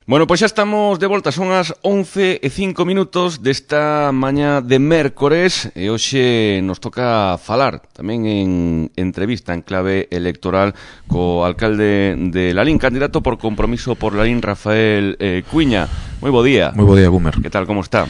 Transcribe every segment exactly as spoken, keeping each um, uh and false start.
Bueno, pois xa estamos de volta, son as once e cinco minutos desta mañá de mércores e hoxe nos toca falar tamén en entrevista en clave electoral co alcalde de Lalín, candidato por Compromiso por Lalín, Rafael eh, Cuiña. Moi bo día. Moi bo día, Gumer. Que tal, como está?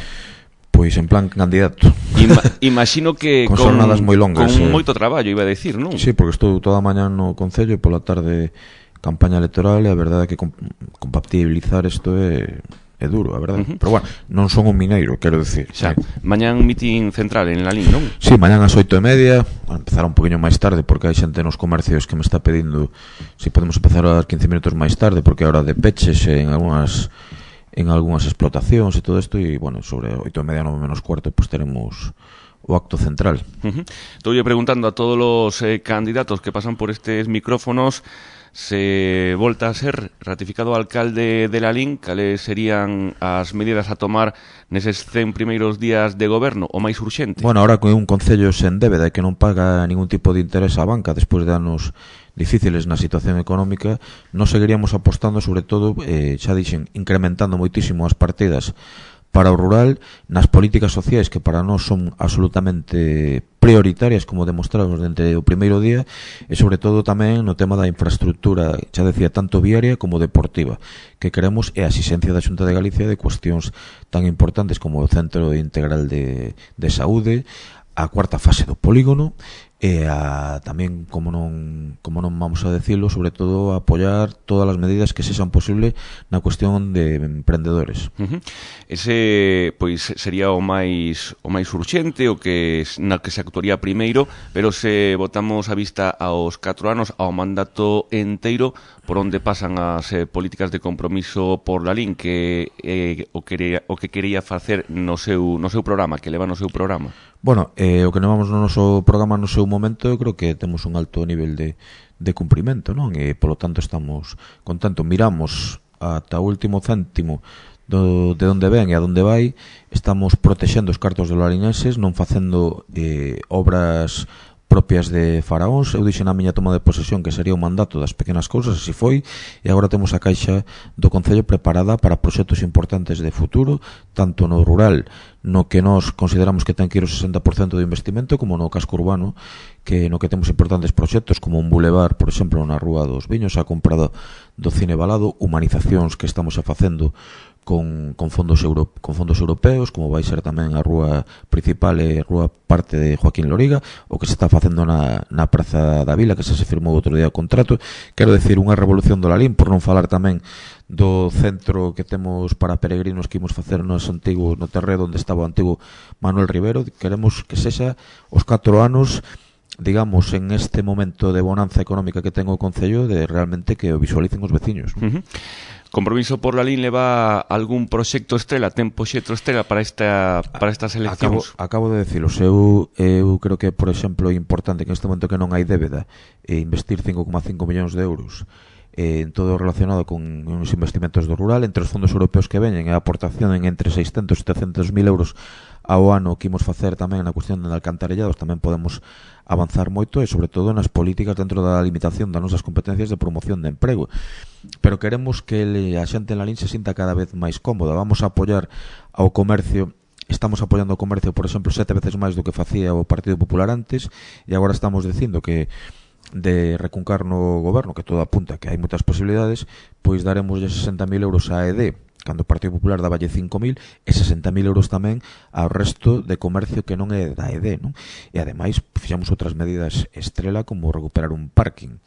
Pois en plan candidato. Ima imagino que con, con jornadas moi longas, con eh. moito traballo, iba a decir, non? Sí, porque estou toda a mañá no Concello e pola tarde campaña electoral e a verdade é que comp compatibilizar isto é, é duro, a verdade. Uh -huh. Pero bueno, non son un mineiro, quero decir. Xa, sí. Mañán mitin central en Lalín, non? Sí, mañán ás oito e media, a empezar un poquinho máis tarde porque hai xente nos comercios que me está pedindo se si podemos empezar a quince minutos máis tarde porque a hora de peches en algunhas en algunhas explotacións e todo isto e, bueno, sobre oito e media, nove menos cuarto, pues teremos o acto central. Uh -huh. Estou preguntando a todos os eh, candidatos que pasan por estes micrófonos se volta a ser ratificado alcalde de Lalín, cales serían as medidas a tomar neses cen primeiros días de goberno, o máis urxente? Bueno, ahora con un concello sen débeda e que non paga ningún tipo de interés á banca despois de anos difíciles na situación económica, nos seguiríamos apostando sobre todo, eh, xa dixen, incrementando moitísimo as partidas para o rural, nas políticas sociais que para nós son absolutamente prioritarias, como demostramos dende o primeiro día, e sobre todo tamén no tema da infraestructura, xa decía, tanto viaria como deportiva, que queremos é a asistencia da Xunta de Galicia de cuestións tan importantes como o Centro Integral de, de Saúde, a cuarta fase do polígono, e a, tamén, como non como non vamos a decirlo, sobre todo a apoiar todas as medidas que sexan posible na cuestión de emprendedores. Uh -huh. Ese, pois, sería o máis o máis urxente, o que na que se actuaría primeiro, pero se botamos a vista aos catro anos, ao mandato enteiro, por onde pasan as eh, políticas de compromiso por Lalín, que eh, o, quería, o que quería facer no seu, no seu programa, que leva no seu programa? Bueno, eh, o que levamos no noso programa no seu momento, eu creo que temos un alto nivel de, de cumprimento, non? E, polo tanto, estamos contentos. Miramos ata o último céntimo do, de onde ven e a onde vai. Estamos protexendo os cartos de larinenses, non facendo eh, obras propias de faraóns. Eu dixen na miña toma de posesión que sería o mandato das pequenas cousas, así foi, e agora temos a caixa do Concello preparada para proxectos importantes de futuro, tanto no rural, no que nós consideramos que ten que ir o sesenta por cento do investimento, como no casco urbano, que no que temos importantes proxectos como un bulevar, por exemplo, na Rúa dos Viños, a comprada do Cine Balado, humanizacións que estamos a facendo con, con, fondos euro, con fondos europeos, como vai ser tamén a rúa principal e a rúa parte de Joaquín Loriga, o que se está facendo na, na Praza da Vila, que xa se firmou outro día o contrato. Quero decir, unha revolución do Lalín, por non falar tamén do centro que temos para peregrinos que imos facer nos antigos, no terreo onde estaba o antigo Manuel Rivero. Queremos que sexa os catro anos, digamos, en este momento de bonanza económica que ten o Concello, de realmente que o visualicen os veciños. Uh -huh. Compromiso por Lalín leva algún proxecto estrela, ten proxecto estrela para esta para estas eleccións? Acabo, acabo de decirlo, eu, eu creo que, por exemplo, é importante que neste momento que non hai débeda e investir cinco coma cinco millóns de euros eh, en todo relacionado con os investimentos do rural, entre os fondos europeos que veñen e a aportación en entre seiscentos e setecentos mil euros ao ano que imos facer tamén na cuestión de alcantarillados, tamén podemos avanzar moito e sobre todo nas políticas dentro da limitación das nosas competencias de promoción de emprego. Pero queremos que a xente en Lalín se sinta cada vez máis cómoda. Vamos a apoiar ao comercio, estamos apoiando o comercio, por exemplo, sete veces máis do que facía o Partido Popular antes, e agora estamos dicindo que de recuncar no goberno, que todo apunta que hai moitas posibilidades, pois daremos sesenta mil euros a E D, cando o Partido Popular daballe cinco mil, e sesenta mil euros tamén ao resto de comercio que non é da E D, non? E ademais fixamos outras medidas estrela, como recuperar un parking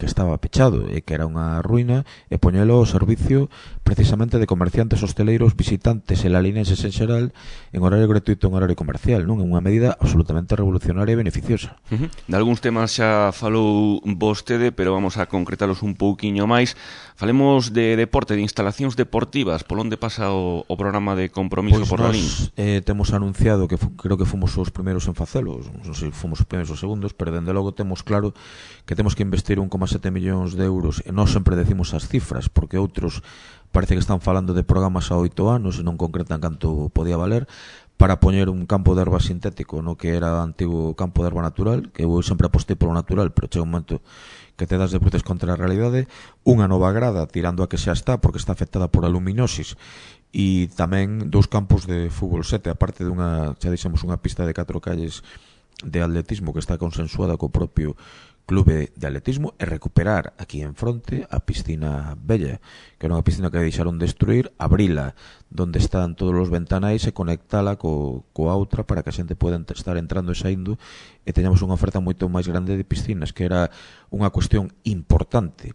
que estaba pechado e que era unha ruína, e poñelo ao servicio precisamente de comerciantes hosteleiros, visitantes e lalinenses en xeral, en horario gratuito, en horario comercial, non? É unha medida absolutamente revolucionaria e beneficiosa. Uh -huh. De algúns temas xa falou vostede, pero vamos a concretalos un pouquiño máis. Falemos de deporte, de instalacións deportivas. Por onde pasa o, o programa de Compromiso pues por Lalín? Eh, temos anunciado que creo que fomos os primeiros en facelo, non sei se fomos os primeiros ou segundos, pero dende logo temos claro que temos que investir un coma sete millóns de euros, e nós sempre decimos as cifras, porque outros parece que están falando de programas a oito anos e non concretan canto podía valer, para poñer un campo de erva sintético no que era o antigo campo de erva natural, que eu sempre apostei polo natural, pero chega un momento que te das de bruces contra a realidade. Unha nova grada, tirando a que xa está, porque está afectada por aluminosis, e tamén dous campos de fútbol sete, aparte dunha, xa dixemos, unha pista de catro calles de atletismo que está consensuada co propio clube de atletismo, e recuperar aquí en fronte a piscina vella, que era unha piscina que deixaron destruir, abrila donde están todos os ventanais e conectala co, coa outra para que a xente poda estar entrando e saindo, e teñamos unha oferta moito máis grande de piscinas, que era unha cuestión importante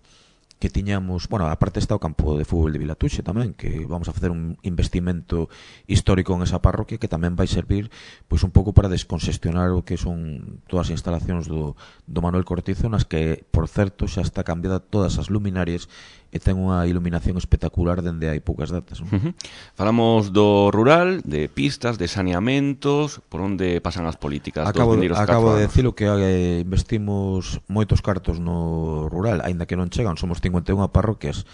que tiñamos. Bueno, aparte está o campo de fútbol de Vilatuxe tamén, que vamos a facer un investimento histórico en esa parroquia que tamén vai servir pois un pouco para descongestionar o que son todas as instalacións do, do Manuel Cortizo, nas que, por certo, xa está cambiada todas as luminarias e ten unha iluminación espectacular dende hai poucas datas, non? Uh-huh. Falamos do rural, de pistas, de saneamentos, por onde pasan as políticas acabo, dos vindeiros acabo catro de anos. decilo que eh, investimos moitos cartos no rural, aínda que non chegan, somos cincuenta e unha parroquias,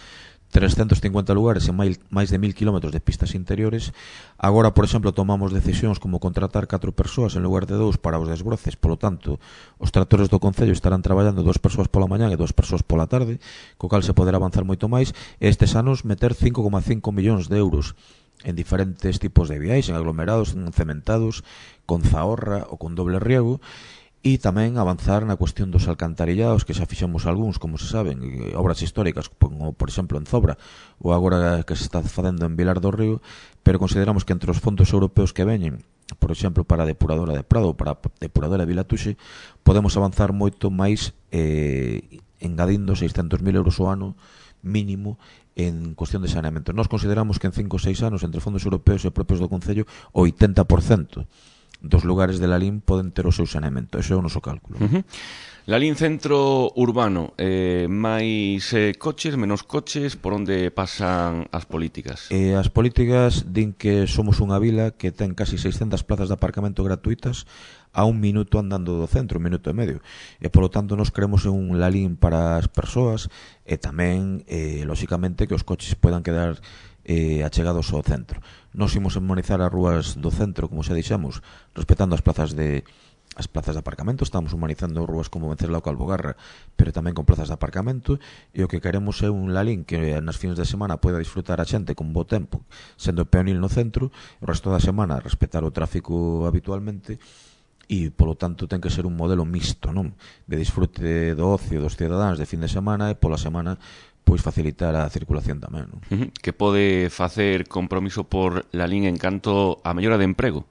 trescentos cincuenta lugares e máis, máis de mil kilómetros de pistas interiores. Agora, por exemplo, tomamos decisións como contratar catro persoas en lugar de dous para os desbroces, polo tanto, os tractores do Concello estarán traballando dúas persoas pola mañá e dúas persoas pola tarde, co cal se poderá avanzar moito máis, e estes anos meter cinco coma cinco millóns de euros en diferentes tipos de viais, en aglomerados, en cementados, con zahorra ou con doble riego, e tamén avanzar na cuestión dos alcantarillados, que xa fixemos algúns, como se saben, obras históricas, como por exemplo en Zobra, ou agora que se está facendo en Vilar do Río, pero consideramos que entre os fondos europeos que veñen, por exemplo, para a depuradora de Prado ou para a depuradora de Vilatuxe, podemos avanzar moito máis eh, engadindo seiscentos mil euros ao ano mínimo en cuestión de saneamento. Nós consideramos que en cinco ou seis anos, entre fondos europeos e propios do Concello, o oitenta por cento dos lugares de Lalín poden ter o seu saneamento. Eso é o noso cálculo. Uh-huh. Lalín centro urbano, eh, máis eh, coches, menos coches, por onde pasan as políticas? Eh, as políticas din que somos unha vila que ten casi seiscentas plazas de aparcamento gratuitas a un minuto andando do centro, un minuto e medio, e polo tanto nos queremos en un Lalín para as persoas, e tamén, eh, lóxicamente, que os coches podan quedar eh, achegados ao centro. Nos imos harmonizar as rúas do centro, como xa dixemos, respetando as plazas de as plazas de aparcamento. Estamos humanizando rúas como Venceslao Calvogarra, pero tamén con plazas de aparcamento, e o que queremos é un Lalín que nas fines de semana poida disfrutar a xente con bo tempo, sendo peonil no centro, o resto da semana respetar o tráfico habitualmente, e polo tanto ten que ser un modelo mixto, non? De disfrute do ocio dos cidadáns de fin de semana, e pola semana pois facilitar a circulación tamén, non? Uh-huh. Que pode facer compromiso por Lalín en canto a mellora de emprego?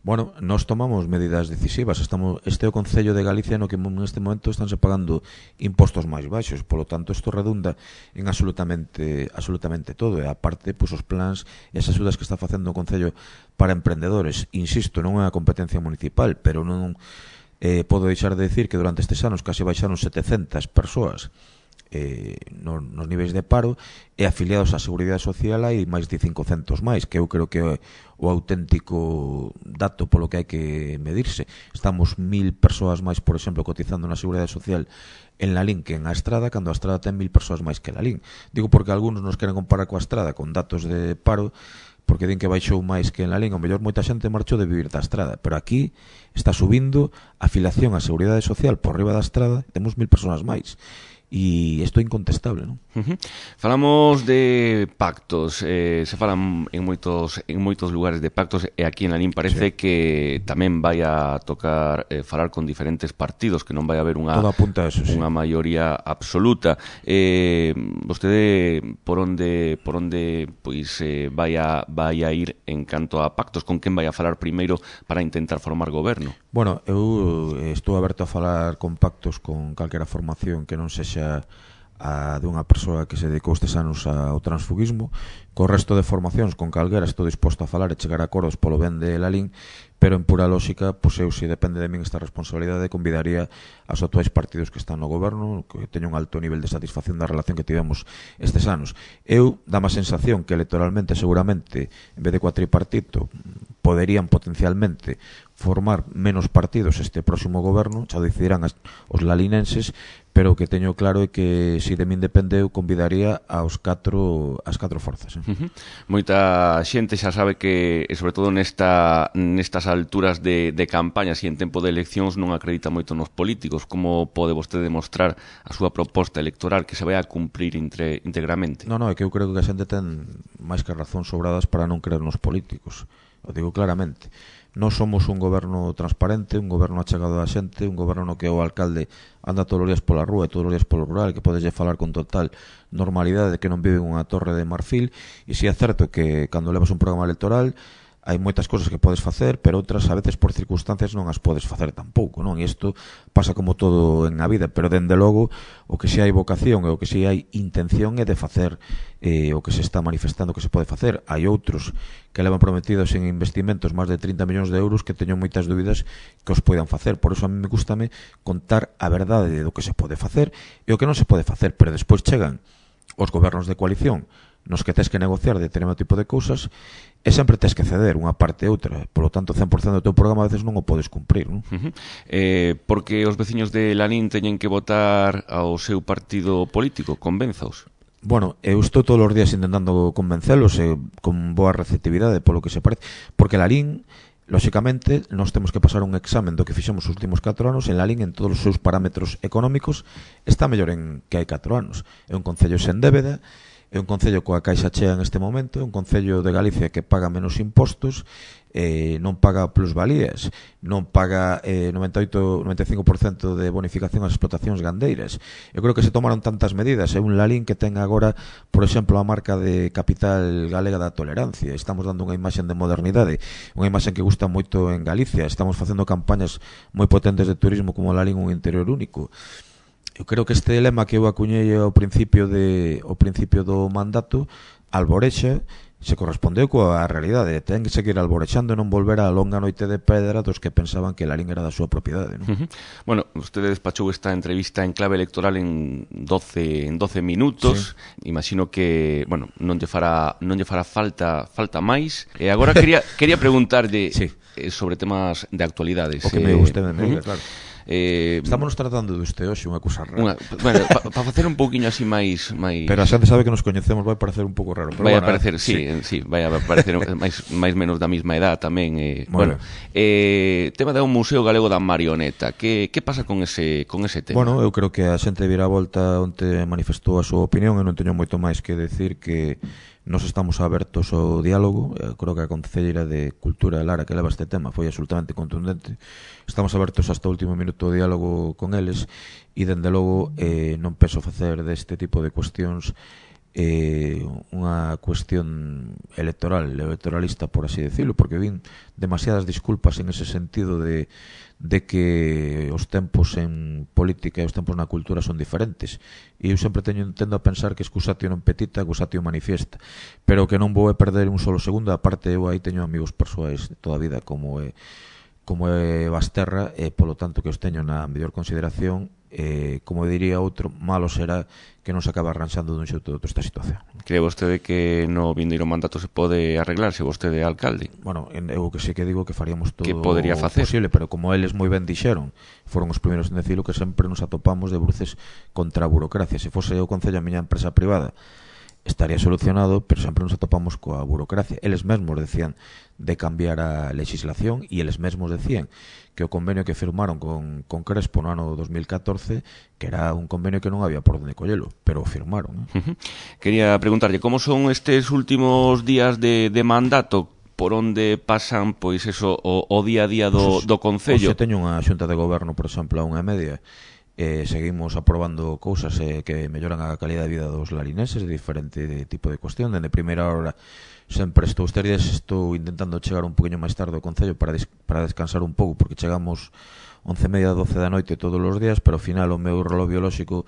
Bueno, nós tomamos medidas decisivas. Estamos, este é o Concello de Galicia no que neste momento estánse pagando impostos máis baixos, polo tanto isto redunda en absolutamente absolutamente todo, e aparte pois os plans e as axudas que está facendo o Concello para emprendedores. Insisto, non é unha competencia municipal, pero non eh, podo deixar de decir que durante estes anos case baixaron setecentas persoas Eh, no, nos niveis de paro, e afiliados á Seguridade Social hai máis de cincocentos máis, que eu creo que é o auténtico dato polo que hai que medirse. Estamos mil persoas máis, por exemplo, cotizando na Seguridade Social en Lalín que en a Estrada, cando a Estrada ten mil persoas máis que Lalín. Digo porque algúns nos queren comparar coa Estrada con datos de paro, porque din que baixou máis que en Lalín. O mellor moita xente marchou de vivir da Estrada, pero aquí está subindo a afiliación á Seguridade Social por riba da Estrada, temos mil persoas máis. E isto é incontestable, non? Uh-huh. Falamos de pactos, eh, se falan en moitos en moitos lugares de pactos, e aquí en Lalín parece sí. que tamén vai a tocar eh, falar con diferentes partidos, que non vai haber unha Todo apunta a eso, sí. unha maioría absoluta. Eh, vostede por onde por onde pois eh, vai a vai a ir en canto a pactos, con quen vai a falar primeiro para intentar formar goberno? Bueno, eu estou aberto a falar con pactos con calquera formación que non sexa a dunha persoa que se dedicou estes anos ao transfugismo. Co resto de formacións con calquera estou disposto a falar e chegar a acordos polo ben de Lalín, pero en pura lógica, pois eu, se depende de min esta responsabilidade, convidaría aos actuais partidos que están no goberno, que teñen un alto nivel de satisfacción da relación que tivemos estes anos. Eu, dá má sensación que electoralmente, seguramente, en vez de coa tripartito, poderían potencialmente formar menos partidos este próximo goberno, xa decidirán as, os lalinenses, pero o que teño claro é que se de min depende eu convidaría aos catro, as catro forzas. Eh? Uh-huh. Moita xente xa sabe que, sobre todo nesta, nestas alturas de, de campañas e en tempo de eleccións, non acredita moito nos políticos. Como pode vostede demostrar a súa proposta electoral que se vai a cumprir entre, íntegramente? Non, non, é que eu creo que a xente ten máis que razón sobradas para non creer nos políticos. O digo claramente. Non somos un goberno transparente, un goberno achegado á xente, un goberno no que o alcalde anda todos os días pola rúa e todos os días polo rural, que podeslle falar con total normalidade de que non vive en unha torre de marfil. E si é certo que cando levas un programa electoral hai moitas cousas que podes facer, pero outras a veces por circunstancias non as podes facer tampouco, non? E isto pasa como todo en a vida, pero dende logo o que si hai vocación e o que si hai intención é de facer eh, o que se está manifestando que se pode facer. Hai outros que levan prometidos en investimentos máis de trinta millóns de euros que teño moitas dúbidas que os poidan facer. Por iso a mí me gustame contar a verdade do que se pode facer e o que non se pode facer, pero despois chegan os gobernos de coalición nos que tes que negociar determinado tipo de cousas e sempre tes que ceder unha parte e outra. Por lo tanto, cen por cento do teu programa a veces non o podes cumprir, non? Uh-huh. eh, porque os veciños de Lalín teñen que votar ao seu partido político, convenzaos. Bueno, eu estou todos os días intentando convencelos e con boa receptividade polo que se parece, porque Lalín, lóxicamente, nós temos que pasar un examen do que fixemos os últimos catro anos. En Lalín, en todos os seus parámetros económicos, está mellor en que hai catro anos. É un concello sen débeda, é un concello coa caixa chea en este momento, é un concello de Galicia que paga menos impostos, eh, non paga plusvalías, non paga eh, noventa e oito, noventa e cinco por cento de bonificación ás explotacións gandeiras. Eu creo que se tomaron tantas medidas. É un Lalín que ten agora, por exemplo, a marca de capital galega da tolerancia. Estamos dando unha imaxen de modernidade, unha imaxen que gusta moito en Galicia. Estamos facendo campañas moi potentes de turismo como Lalín un interior único. Eu creo que este lema que eu acuñei ao principio de ao principio do mandato, alborexa, se correspondeu coa realidade. Ten que seguir alborexando e non volver á longa noite de pedra dos que pensaban que Lalín era da súa propiedade, non? Uh-huh. Bueno, usted despachou esta entrevista en clave electoral en doce en doce minutos. Sí. Imagino que, bueno, non lle fará non lle fará falta falta máis. E agora quería quería preguntarlle sí. eh, sobre temas de actualidades. O que me guste de medida, uh-huh. claro. Eh, Estamos tratando de usted hoxe unha cousa rara. Unha, bueno, para pa facer un pouquiño así máis, máis... Pero a xente sabe que nos coñecemos, vai parecer un pouco raro. Pero vai bueno, a parecer, sí, sí, sí, vai a parecer máis, máis menos da mesma edad tamén. Eh, bueno, eh, tema de un museo galego da marioneta. Que, que pasa con ese, con ese tema? Bueno, eu creo que a xente vira a volta onde manifestou a súa opinión e non teño moito máis que decir que nos estamos abertos ao diálogo. Eu creo que a concelleira de Cultura, Lara, que leva este tema, foi absolutamente contundente. Estamos abertos hasta o último minuto ao diálogo con eles e, dende logo, eh, non penso facer deste tipo de cuestións eh, unha cuestión electoral, electoralista, por así decirlo, porque vin demasiadas disculpas en ese sentido de de que os tempos en política e os tempos na cultura son diferentes. E eu sempre teño tendo a pensar que excusatio non petita, excusatio manifiesta. Pero que non vou a perder un solo segundo. A parte, eu aí teño amigos persoais de toda a vida como é como é Basterra, e polo tanto que os teño na mellor consideración. Eh, como diría outro, malo será que non se acaba arranxando dun xeito de outra esta situación. Cree vostede que no vindeiro mandato se pode arreglar se vostede é alcalde? Bueno, eu que sí que digo que faríamos todo que podría facer? Posible, pero como eles moi ben dixeron, foron os primeiros en decirlo, que sempre nos atopamos de bruces contra a burocracia. Se fose o Concello a miña empresa privada, estaría solucionado, pero sempre nos atopamos coa burocracia. Eles mesmos decían de cambiar a legislación e eles mesmos decían que o convenio que firmaron con, con Crespo no ano dos mil catorce, que era un convenio que non había por onde collelo, pero o firmaron. Uh-huh. Quería preguntarlle, como son estes últimos días de, de mandato? Por onde pasan, pois, eso, o, o día a día do, do Concello? Oxe, teño unha xunta de goberno, por exemplo, a unha e media, eh, seguimos aprobando cousas eh, que melloran a calidad de vida dos larineses, de diferente de tipo de cuestión. Dende primeira hora sempre estou estes días estou intentando chegar un poquinho máis tarde ao Concello para, des, para descansar un pouco, porque chegamos once e media, doce da noite todos os días, pero ao final o meu reloj biolóxico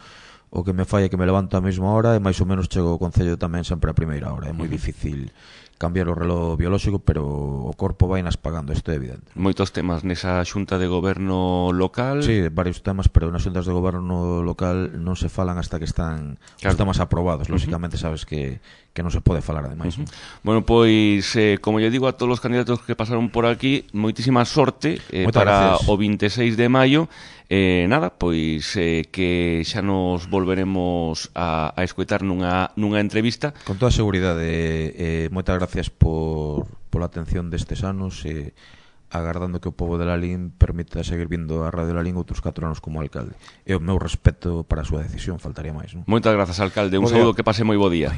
o que me falla é que me levanto a mesma hora e máis ou menos chego ao Concello tamén sempre a primeira hora. É moi difícil cambiar o reloj biolóxico, pero o corpo vai nas pagando, isto é evidente. Moitos temas nesa xunta de goberno local. Sí, varios temas, pero nas xuntas de goberno local non se falan hasta que están claro. os temas aprobados. Lóxicamente uh -huh. sabes que, que non se pode falar ademais. Uh -huh. Bueno, pois, eh, como lle digo a todos os candidatos que pasaron por aquí, moitísima sorte eh, para gracias. O veintiséis de maio. Eh, nada, pois eh, que xa nos volveremos a, a escoitar nunha, nunha entrevista. Con toda a seguridade, eh, moitas gracias por, pola atención destes anos e eh, agardando que o povo de Lalín permita seguir vindo a Radio Lalín outros catro anos como alcalde. E o meu respeto para a súa decisión, faltaría máis, non? Moitas grazas, alcalde. Un saúdo, que pase moi bo día.